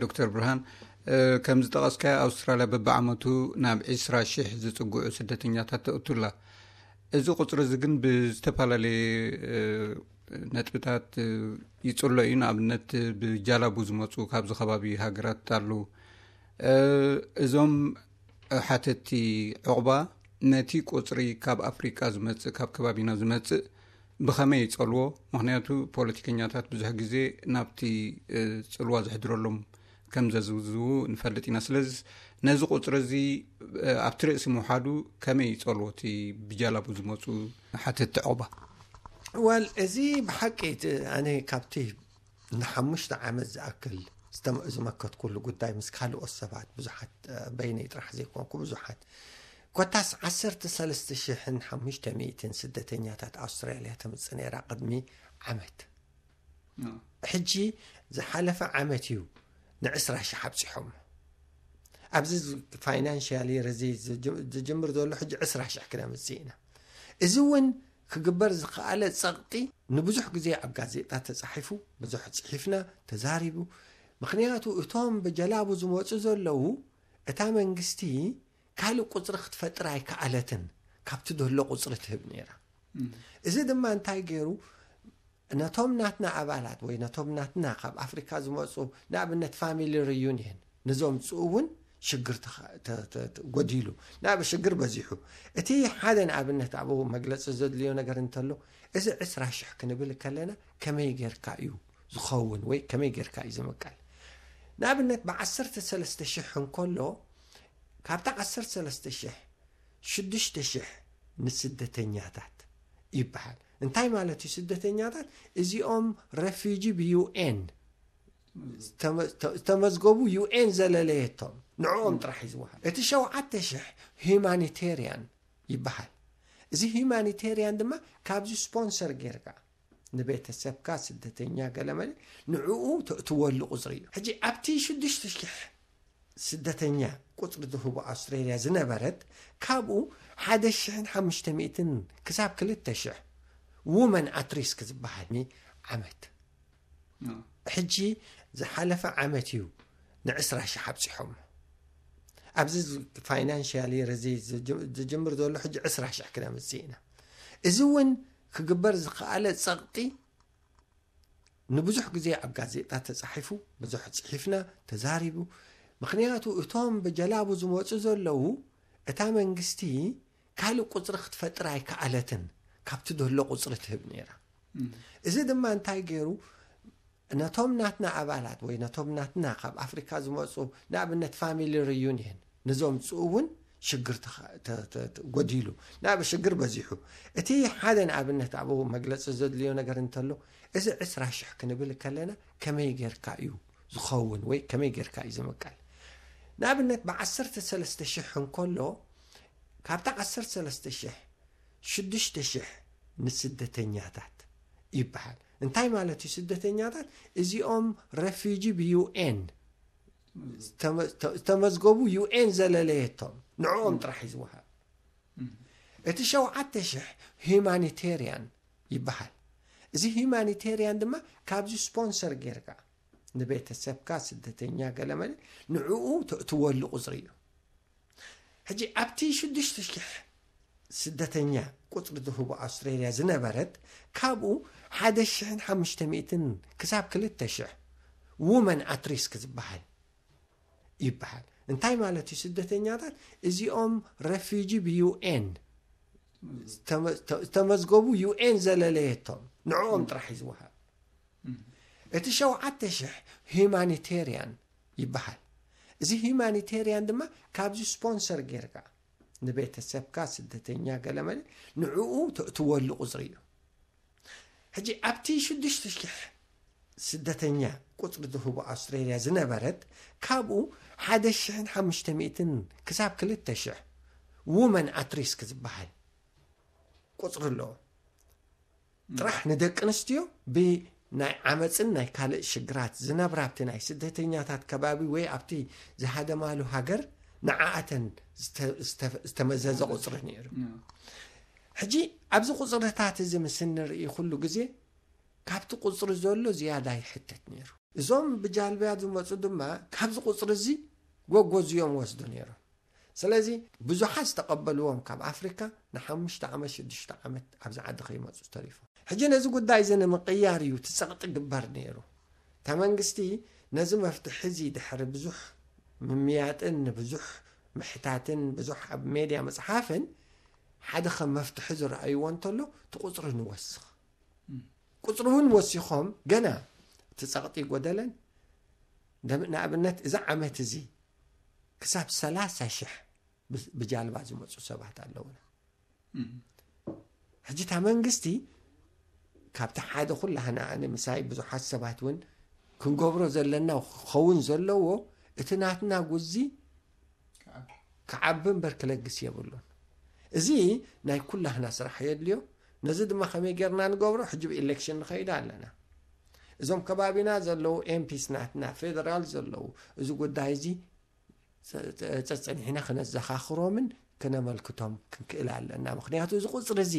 ዶክተር ብርሃን፣ ከም ዝጠቐስካዮ ኣውስትራልያ በብዓመቱ ናብ ዕስራ ሽሕ ዝጽግዑ ስደተኛታት ተእቱላ። እዚ ቁጽሪ እዚ ግን ብዝተፈላለየ ነጥብታት ይጽሎ እዩ። ንኣብነት ብጃላቡ ዝመፁ ካብዚ ከባቢ ሃገራት ኣለዉ። እዞም ሓተቲ ዕቑባ ነቲ ቁፅሪ ካብ ኣፍሪቃ ዝመፅእ፣ ካብ ከባቢና ዝመፅእ ብኸመይ ይፀልዎ? ምክንያቱ ፖለቲከኛታት ብዙሕ ግዜ ናብቲ ፅልዋ ዘሕድረሎም ከም ዘዝውዝዉ ንፈልጥ ኢና። ስለዚ ነዚ ቁፅሪ እዚ ኣብቲ ርእሲ ምውሓዱ ከመይ ይፀልዎ እቲ ብጃላቡ ዝመፁ ሓተቲ ዕቑባ? ዋል እዚ ብሓቂ እቲ ኣነ ካብቲ ንሓሙሽተ ዓመት ዝኣክል ዝተመ- ዝመከትኩሉ ጉዳይ ምስ ካልኦት ሰባት ብዙሓት እ፣ በይነይ ጥራሕ ዘይኮንኩ ብዙሓት ኮታስ ዓሰርተ ሰለስተ ሽሕን ሓሙሽተ ሚእትን ስደተኛታት ኣውስትራልያ ተምፅእ ነይራ ቅድሚ ዓመት። ሕጂ ዝሓለፈ ዓመት እዩ ንዕስራ ሽሕ ኣብፂሖም። ኣብዚ ፋይናንሽያል የር እዚ ዝጅ- ዝጅምር ዘሎ ሕጂ ዕስራ ሽሕ ክነምፅእ ኢና። እዚ እውን ክግበር ዝኸኣለ ፀቕጢ ንብዙሕ ግዜ ኣብ ጋዜጣ ተፃሒፉ፣ ብዙሕ ፅሒፍና፣ ተዛሪቡ። ምክንያቱ እቶም ብጀላቡ ዝመፁ ዘለዉ እታ መንግስቲ ካልእ ቁፅሪ ክትፈጥር ኣይከኣለትን፣ ካብቲ ዘሎ ቁፅሪ ትህብ ነይራ። እዚ ድማ እንታይ ገይሩ ነቶም ናትና ኣባላት ወይ ነቶም ናትና ካብ ኣፍሪካ ዝመፁ ንኣብነት ፋሚሊ ሪዩኒየን ንዘምፅኡ እውን ሽግር ተኸ- ተ- ተ- ተ- ጎዲሉ ናብ ሽግር በዚሑ። እቲ ሓደ ንኣብነት ኣብኡ መግለፂ ዘድልዮ ነገር እንተሎ እዚ ዕስራ ሽሕ ክንብል ከለና ከመይ ጌርካ እዩ ዝኸውን ወይ ከመይ ጌርካ እዩ ዝምቀል? ንኣብነት ብዓሰርተ ሰለስተ ሽሕ እንከሎ ካብታ ዓሰርተ ሰለስተ ሽሕ ሽዱሽተ ሽሕ ንስደተኛታት ይበሃል። እንታይ ማለት እዩ ስደተኛታት? እዚኦም ረፊጂ ብዩኤን ዝተመዝገቡ ዩኤን ዘለለየቶም ንዕኦም ጥራሕ እዩ ዝወሃብ። እቲ ሸውዓተ ሽሕ ሂማኒቴርያን ይበሃል። እዚ ሂማኒቴርያን ድማ ካብዚ ስፖንሰር ጌርካ ንቤተሰብካ ስደተኛ ገለመለ ንዕኡ ተእትወሉ ቁፅሪ እዩ። ሕጂ ኣብቲ ሽዱሽተ ሽሕ ስደተኛ ቁፅሪ ዝህቡ ኣውስትሬልያ ዝነበረት ካብኡ ሓደ ሽሕን ሓሙሽተ ሚእትን ክሳብ ክልተ ሽሕ ውመን ኣትሪስክ ዝበሃል ዓመት ሕጂ ዝሓለፈ ዓመት እዩ ንዕስራ ሽሕ ኣብፂሖም። ኣብዚ ፋይናንሽያል የር እዚ ዝጅምር ዘሎ ሕጂ ዕስራ ሽሕ ክነምፅእ ኢና። እዚ እውን ክግበር ዝኸኣለ ፀቕጢ ንብዙሕ ግዜ ኣብ ጋዜጣ ተፃሒፉ፣ ብዙሕ ፅሒፍና፣ ተዛሪቡ። ምክንያቱ እቶም ብጀላቡ ዝመፁ ዘለዉ እታ መንግስቲ ካልእ ቁፅሪ ክትፈጥር ኣይከኣለትን፣ ካብቲ ዘሎ ቁፅሪ ትህብ ነይራ። እዚ ድማ እንታይ ገይሩ ነቶም ናትና ኣባላት ወይ ነቶም ናትና ካብ ኣፍሪካ ዝመፁ ንኣብነት ፋሚሊ ሪዩኒየን ንዘምፅኡ እውን ሽግር ተኸ- ተ- ተ- ተ- ጎዲሉ ናብ ሽግር በዚሑ። እቲ ሓደ ንኣብነት ኣብኡ መግለፂ ዘድልዮ ነገር እንተሎ እዚ ዕስራ ሽሕ ክንብል ከለና ከመይ ጌርካ እዩ ዝኸውን ወይ ከመይ ጌርካ እዩ ዝምቀል? ንኣብነት ብዓሰርተ ሰለስተ ሽሕ እንከሎ ካብታ ዓሰርተ ሰለስተ ሽሕ ሽዱሽተ ሽሕ ንስደተኛታት ይበሃል። እንታይ ማለት እዩ ስደተኛታት? እዚኦም ረፊጂ ብዩኤን ዝተመ- ተ- ዝተመዝገቡ ዩኤን ዘለለየቶም ንዕኦም ጥራሕ እዩ ዝወሃብ። እቲ ሸውዓተ ሽሕ ሂማኒቴርያን ይበሃል። እዚ ሂማኒቴርያን ድማ ካብዚ ስፖንሰር ጌርካ ንቤተሰብካ ስደተኛ ገለመለ ንዕኡ ተእትወሉ ቁፅሪ እዩ። ሕጂ ኣብቲ ሽዱሽተ ሽሕ ስደተኛ ቁፅሪ ዝህቡ ኣውስትሬልያ ዝነበረት ካብኡ ሓደ ሽሕን ሓሙሽተ ሚእትን ክሳብ ክልተ ሽሕ ውመን ኣትሪስክ ዝበሃል ይበሃል። እንታይ ማለት እዩ ስደተኛታት? እዚኦም ረፊጂ ብዩኤን ዝተመ- ተ- ዝተመዝገቡ ዩኤን ዘለለየቶም ንዕኦም ጥራሕ እዩ ዝወሃብ። እቲ ሸውዓተ ሽሕ ሂማኒቴርያን ይበሃል። እዚ ሂማኒቴርያን ድማ ካብዚ ስፖንሰር ጌርካ ንቤተሰብካ ስደተኛ ገለመለ ንዕኡ ተእትወሉ ቁፅሪ እዩ። ሕጂ ኣብቲ ሽዱሽተ ሽሕ ስደተኛ ቁፅሪ ዝህቡ ኣውስትሬልያ ዝነበረት ካብኡ ሓደ ሽሕን ሓሙሽተ ሚእትን ክሳብ ክልተ ሽሕ ውመን ኣትሪስክ ዝበሃል ቁፅሪ ኣለዎ። ጥራሕ ንደቂ ኣንስትዮ ብናይ ዓመፅን ናይ ካልእ ሽግራት ዝነብራ ኣብቲ ናይ ስደተኛታት ከባቢ ወይ ኣብቲ ዝሃደማሉ ሃገር ንዓኣተን ዝተ- ዝተ- ዝተመዘዘ ቁፅሪ ነይሩ። ሕጂ ኣብዚ ቁፅርታት እዚ ምስ እንርኢ ኩሉ ግዜ ካብቲ ቁፅሪ ዘሎ ዝያዳ ይሕተት ነይሩ። እዞም ብጃልብያ ዝመፁ ድማ ካብዚ ቁፅሪ እዚ ጎጎዝዮም ወስዱ ነይሮም። ስለዚ ብዙሓት ዝተቐበልዎም ካብ ኣፍሪካ ንሓሙሽተ ዓመት ሽዱሽተ ዓመት ኣብዚ ዓዲ ከይመፁ ተሪፎም። ሕጂ ነዚ ጉዳይ እዚ ንምቕያር እዩ እቲ ፀቕጢ ግበር ነይሩ። እታ መንግስቲ ነዚ መፍትሒ እዚ ድሕሪ ብዙሕ ምምያጥን ንብዙሕ ምሕታትን ብዙሕ ኣብ ሜድያ ምፅሓፍን ሓደ ከም መፍትሒ ዝረኣይዎ እንተሎ እቲ ቁፅሪ ንወስኽ። ቁፅሪ እውን ወሲኾም ገና እቲ ፀቕጢ ጎደለን። ንኣብነት እዚ ዓመት እዚ ክሳብ ሰላሳ ሽሕ ብጃልባ ዝመፁ ሰባት ኣለውና። ሕጂ እታ መንግስቲ ካብቲ ሓደ ኩላህና ኣነ ምሳይ ብዙሓት ሰባት እውን ክንገብሮ ዘለና ክኸውን ዘለዎ እቲ ናትና ጉዚ ክዓቢ እምበር ክለግስ የብሉን። እዚ ናይ ኩላህና ስራሕ የድልዮ። ነዚ ድማ ከመይ ጌርና ንገብሮ? ሕጂ ብኤሌክሽን ንኸይድ ኣለና። እዞም ከባቢና ዘለዉ ኤምፒስ ናትና ፌደራል ዘለዉ እዚ ጉዳይ እዚ ጸ- ጸ- ጸጸኒሕና ክነዘኻኽሮምን ክነመልክቶም ክንክእል ኣለና። ምክንያቱ እዚ ቁፅሪ እዚ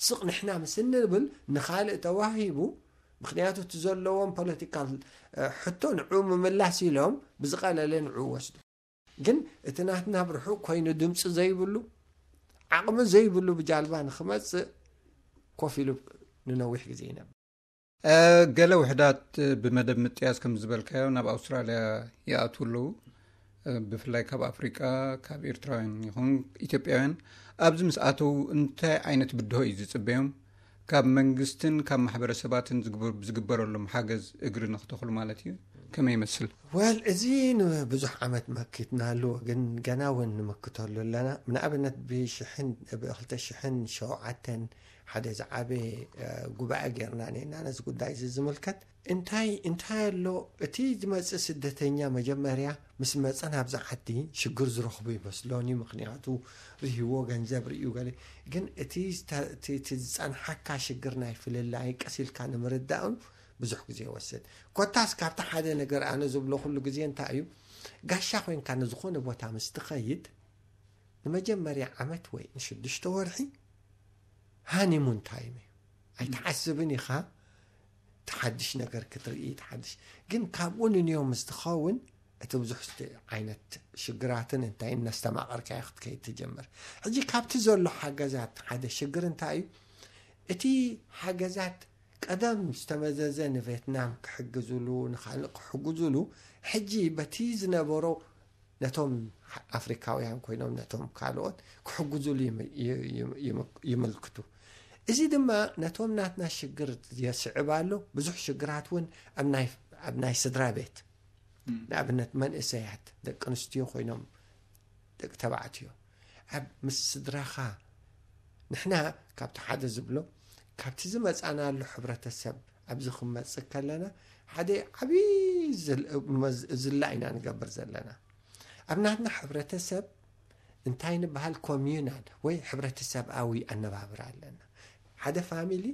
ስቕ ንሕና ምስ እንብል ንኻልእ ተዋሂቡ፣ ምክንያቱ እቲ ዘለዎም ፖለቲካል ሕቶ ንዑ ምምላስ ኢሎም ብዝቐለለ ንዑ ወስዱ። ግን እቲ ናትና ብርሑቕ ኮይኑ ድምፂ ዘይብሉ ዓቕሚ ዘይብሉ ብጃልባ ንክመፅእ ኮፍ ኢሉ ንነዊሕ ግዜ ይነብር። ገለ ውሕዳት ብመደብ ምጥያስ ከም ዝበልካዮ ናብ ኣውስትራልያ ይኣትዉ ኣለዉ። ብፍላይ ካብ ኣፍሪቃ፣ ካብ ኤርትራውያን ይኹን ኢትዮጵያውያን። ኣብዚ ምስ ኣተዉ እንታይ ዓይነት ብድሆ እዩ ዝጽበዮም? ካብ መንግስትን ካብ ማሕበረሰባትን ዝግበረሎም ሓገዝ እግሪ ንክተኽሉ ማለት እዩ። ከመይ ይመስል? ወል እዚ ንብዙሕ ዓመት መኪትናሉ፣ ግን ገና እውን ንምክተሉ ኣለና። ንኣብነት ብሽሕን ብክልተ ሽሕን ሸውዓተን ሓደ ዝዓበየ ጉባኤ ጌርና ነና ነዚ ጉዳይ እዚ ዝምልከት። እንታይ እንታይ ኣሎ? እቲ ዝመፅእ ስደተኛ መጀመርያ ምስ መፀ ናብዚ ዓዲ ሽግር ዝረኽቡ ይመስሎን እዩ። ምክንያቱ ርህዎ ገንዘብ ርእዩ ገለ። ግን እቲ ዝፀንሓካ ሽግር ናይ ፍልላይ ቀሲልካ ንምርዳእኑ ብዙሕ ግዜ ይወስድ። ኮታስ ካብቲ ሓደ ነገር ኣነ ዝብሎ ኩሉ ግዜ እንታይ እዩ፣ ጋሻ ኮይንካ ንዝኾነ ቦታ ምስ ትኸይድ ንመጀመርያ ዓመት ወይ ንሽዱሽተ ወርሒ ሃኒሙን ታይም እዩ። ኣይትሓስብን ኢኻ ተሓድሽ ነገር ክትርኢ። ተሓድሽ ግን ካብኡ ንንዮም ምስ ትኸውን እቲ ብዙሕ ዓይነት ሽግራትን እንታይ እናስተማቐርካዮ ክትከይድ ትጀምር። ሕጂ ካብቲ ዘሎ ሓገዛት ሓደ ሽግር እንታይ እዩ? እቲ ሓገዛት ቀደም ዝተመዘዘ ንቬትናም ክሕግዝሉ ንካልእ ክሕግዝሉ ሕጂ በቲ ዝነበሮ ነቶም ኣፍሪካውያን ኮይኖም ነቶም ካልኦት ክሕግዝሉ ይምልክቱ። እዚ ድማ ነቶም ናትና ሽግር የስዕብ ኣሎ። ብዙሕ ሽግራት እውን ኣብ ናይ ስድራ ቤት ንኣብነት መንእሰያት ደቂ ኣንስትዮ ኮይኖም ደቂ ተባዕትዮ ኣብ ምስ ስድራኻ ንሕና ካብቲ ሓደ ዝብሎ ካብቲ ዝመፃናሉ ሕብረተሰብ ኣብዚ ክንመፅእ ከለና ሓደ ዓብዪ ዝላ ኢና ንገብር ዘለና። ኣብ ናትና ሕብረተሰብ እንታይ ንበሃል ኮሚዩናል ወይ ሕብረተሰብኣዊ ኣነባብራ ኣለና። ሓደ ፋሚሊ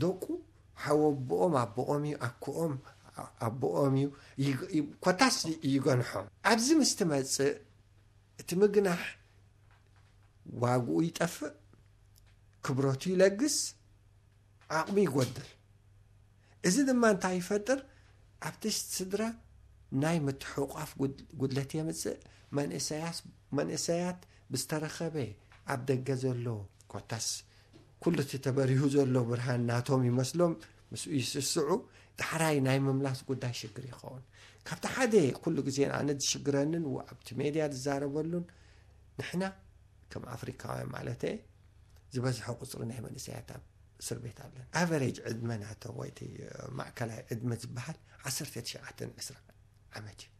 ደቁ ሓወቦኦም ኣቦኦም እዩ፣ ኣኮኦም ኣቦኦም እዩ፣ ኮታስ ይገንሖም። ኣብዚ ምስ ትመፅእ እቲ ምግናሕ ዋግኡ ይጠፍእ፣ ክብረቱ ይለግስ፣ ዓቕሚ ይጎድል። እዚ ድማ እንታይ ይፈጥር? ኣብቲ ስድራ ናይ ምትሕቋፍ ጉድለት የምፅእ። መንእሰያት ብዝተረኸበ ኣብ ደገ ዘሎ ኮታስ ኩሉ እቲ ተበሪሁ ዘሎ ብርሃን ናቶም ይመስሎም፣ ምስኡ ይስስዑ። ዳሕራይ ናይ ምምላስ ጉዳይ ሽግር ይኸውን። ካብቲ ሓደ ኩሉ ግዜ ኣነ ዝሽግረንን ኣብቲ ሜድያ ዝዛረበሉን ንሕና ከም ኣፍሪካውያን ማለት ዝበዝሐ ቁፅሪ ናይ መንእሰያት ኣብ እስር ቤት ኣለን። ኣቨሬጅ ዕድመ ናቶም ወይ ማእከላይ ዕድመ ዝበሃል ዓሰርተ ትሽዓተ ዓመት እዩ።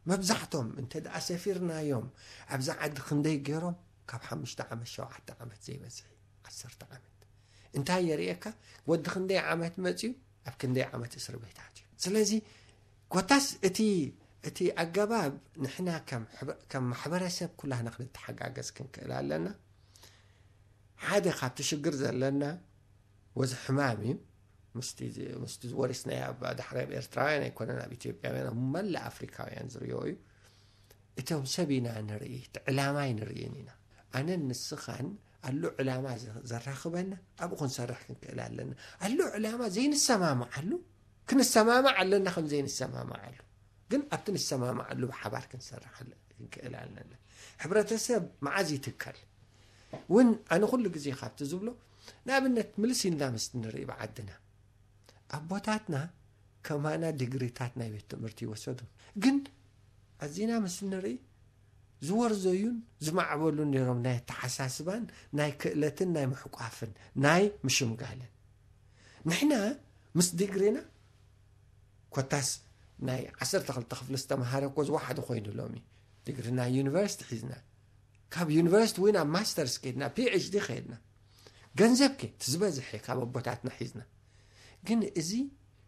መብዛሕቶም እንተ ደኣ ሰፊርናዮም ኣብዛ ዓዲ ክንደይ ገይሮም ካብ ሓሙሽተ ዓመት ሸውዓተ ዓመት ዘይበዝሕ ዓሰርተ ዓመት እንታይ የርእየካ? ወዲ ክንደይ ዓመት መፅዩ ኣብ ክንደይ ዓመት እስር ቤታት እዩ። ስለዚ ኮታስ እቲ እቲ ኣገባብ ንሕና ከም ማሕበረሰብ ኩላህና ክንተሓጋገዝ ክንክእል ኣለና። ሓደ ካብቲ ሽግር ዘለና ወዚ ሕማም እዩ። ምስቲ ወሪስናዮ ኣብ ዳሕራይ ኣብ ኤርትራውያን ኣይኮነን ኣብ ኢትዮጵያውያን ኣብ መላእ ኣፍሪካውያን ዝርዮ እዩ። እቶም ሰብ ኢና ንርኢ፣ እቲ ዕላማ ኣይንርእን ኢና። ኣነን ንስኻን ኣሎ ዕላማ ዘ- ዘራኽበና ኣብኡ ክንሰርሕ ክንክእል ኣለና። ኣሎ ዕላማ ዘይንሰማማዓሉ ክንሰማማዕ ኣለና፣ ከም ዘይንሰማማዓሉ ግን ኣብቲ ንሰማማዓሉ ብሓባር ክንሰርሕ ኣለ- ክንክእል ኣለና። ሕብረተሰብ መዓዝ ይትከል እውን ኣነ ኩሉ ግዜ ካብቲ ዝብሎ ንኣብነት ምልስ ኢልና ምስ ንርኢ ብዓድና ኣቦታትና ከማና ዲግሪታት ናይ ቤት ትምህርቲ ይወሰዱ፣ ግን ኣዚና ምስ ንርኢ ዝወርዘዩን ዝማዕበሉን ነይሮም ናይ ኣተሓሳስባን ናይ ክእለትን ናይ ምሕቋፍን ናይ ምሽምጋልን። ንሕና ምስ ዲግሪና ኮታስ ናይ ዓሰርተ ክልተ ክፍሊ ዝተምሃረ እኮ ዝወሓደ ኮይኑ ሎሚ ዲግሪ ናይ ዩኒቨርሲቲ ሒዝና ካብ ዩኒቨርሲቲ እውን ኣብ ማስተርስ ከድና ፒኤችዲ ከድና ገንዘብ ከ እቲ ዝበዝሐ ካብ ኣቦታትና ሒዝና። ግን እዚ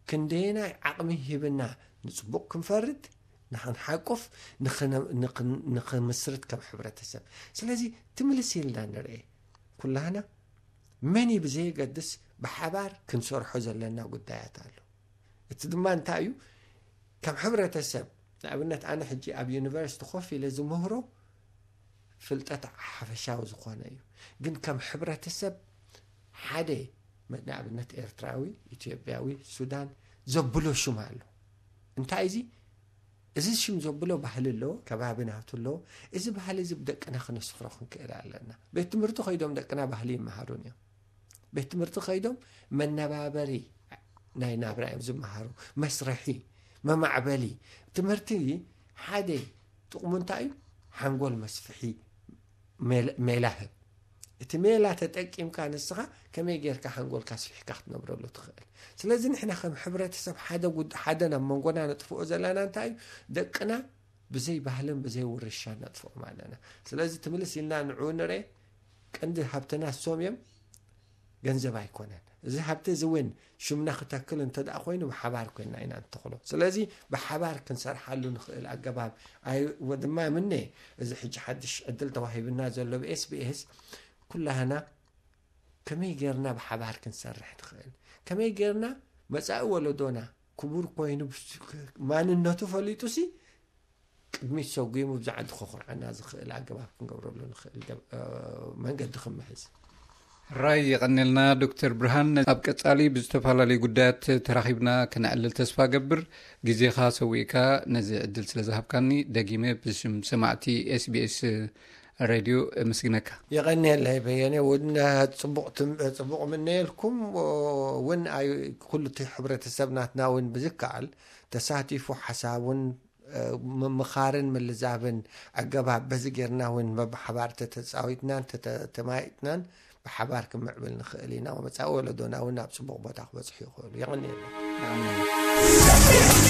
ክንደየናይ ዓቕሚ ሂብና ንፅቡቕ ክንፈርድ ንክንሓቁፍ ንክነ- ንክን- ንክምስርት ከም ሕብረተሰብ። ስለዚ ትምልስ ኢልና ንርኤ ኩላህና መን ብዘየገድስ ብሓባር ክንሰርሖ ዘለና ጉዳያት ኣሎ። እቲ ድማ እንታይ እዩ? ከም ሕብረተሰብ ንኣብነት ኣነ ሕጂ ኣብ ዩኒቨርሲቲ ኮፍ ኢለ ዝምህሮ ፍልጠት ሓፈሻዊ ዝኾነ እዩ። ግን ከም ሕብረተሰብ ሓደ ንኣብነት ኤርትራዊ፣ ኢትዮጵያዊ፣ ሱዳን ዘብሎ ሽም ኣሎ። እንታይ እዚ እዚ ሽም ዘብሎ ባህሊ ኣለዎ፣ ከባቢ ናቱ ኣለዎ። እዚ ባህሊ እዚ ብደቅና ክነስፍሮ ክንክእል ኣለና። ቤት ትምህርቲ ከይዶም ደቅና ባህሊ ይመሃሩን እዮም። ቤት ትምህርቲ ከይዶም መነባበሪ ናይ ናብራ እዮም ዝመሃሩ። መስርሒ፣ መማዕበሊ ትምህርቲ ሓደ ጥቕሙ እንታይ እዩ? ሓንጎል መስፍሒ ሜል- ሜላ ህብ። እቲ ሜላ ተጠቂምካ ንስኻ ከመይ ጌርካ ሓንጎልካ ስፊሕካ ክትነብረሉ ትኽእል። ስለዚ ንሕና ከም ሕብረተሰብ ሓደ ጉድ ሓደ ናብ መንጎና ነጥፍኦ ዘለና እንታይ እዩ? ደቅና ብዘይ ባህልን ብዘይ ውርሻ ነጥፍኦም ኣለና። ስለዚ ትምልስ ኢልና ንዑ ንርኤ። ቀንዲ ሃብትና እሶም እዮም፣ ገንዘብ ኣይኮነን። እዚ ሃብቲ እዚ እውን ሽምና ክተክል እንተ ደኣ ኮይኑ ብሓባር ኮይና ኢና ንተኽሎ። ስለዚ ብሓባር ክንሰርሓሉ ንኽእል ኣገባብ ኣይ- ወ- ድማ ምነ እዚ ሕጂ ሓድሽ ዕድል ተዋሂብና ዘሎ ብኤስቢኤስ ኩላህና ከመይ ጌርና ብሓባር ክንሰርሕ ንኽእል፣ ከመይ ጌርና መጻኢ ወለዶና ክቡር ኮይኑ ብስ- ማንነቱ ፈሊጡ ሲ ቅድሚት ሰጒሙ ብዛዕባ ከኹርዓና ዝኽእል ኣገባብ ክንገብረሉ ንኽእል ገብ- እ፣ መንገዲ ክንምሕዝ። ራይ የቐኔልና ዶክተር ብርሃን። ኣብ ቀጻሊ ብዝተፈላለዩ ጉዳያት ተራኺብና ክነዕልል ተስፋ ገብር። ግዜኻ ሰዊእካ ነዚ ዕድል ስለ ዝሃብካኒ ደጊመ ብሽም ሰማዕቲ ኤስቢኤስ ሬድዮ ምስግነካ። የቐኔለይ በየነ። እውን ጽቡቕ ትም- ጽቡቕ ምነየልኩም። እውን ኣይ ኩሉ እቲ ሕብረተሰብ ናትና እውን ብዝከኣል ተሳቲፉ ሓሳቡን ምምኻርን ምልዛብን ኣገባብ በዚ ጌርና እውን በብሓባር ተተፃዊትናን ተተማይጥናን ብሓባር ክምዕብል ንኽእል ኢና። መፃኢ ወለዶና እውን ናብ ፅቡቕ ቦታ ክበፅሑ ይኽእሉ። የቐንየልና።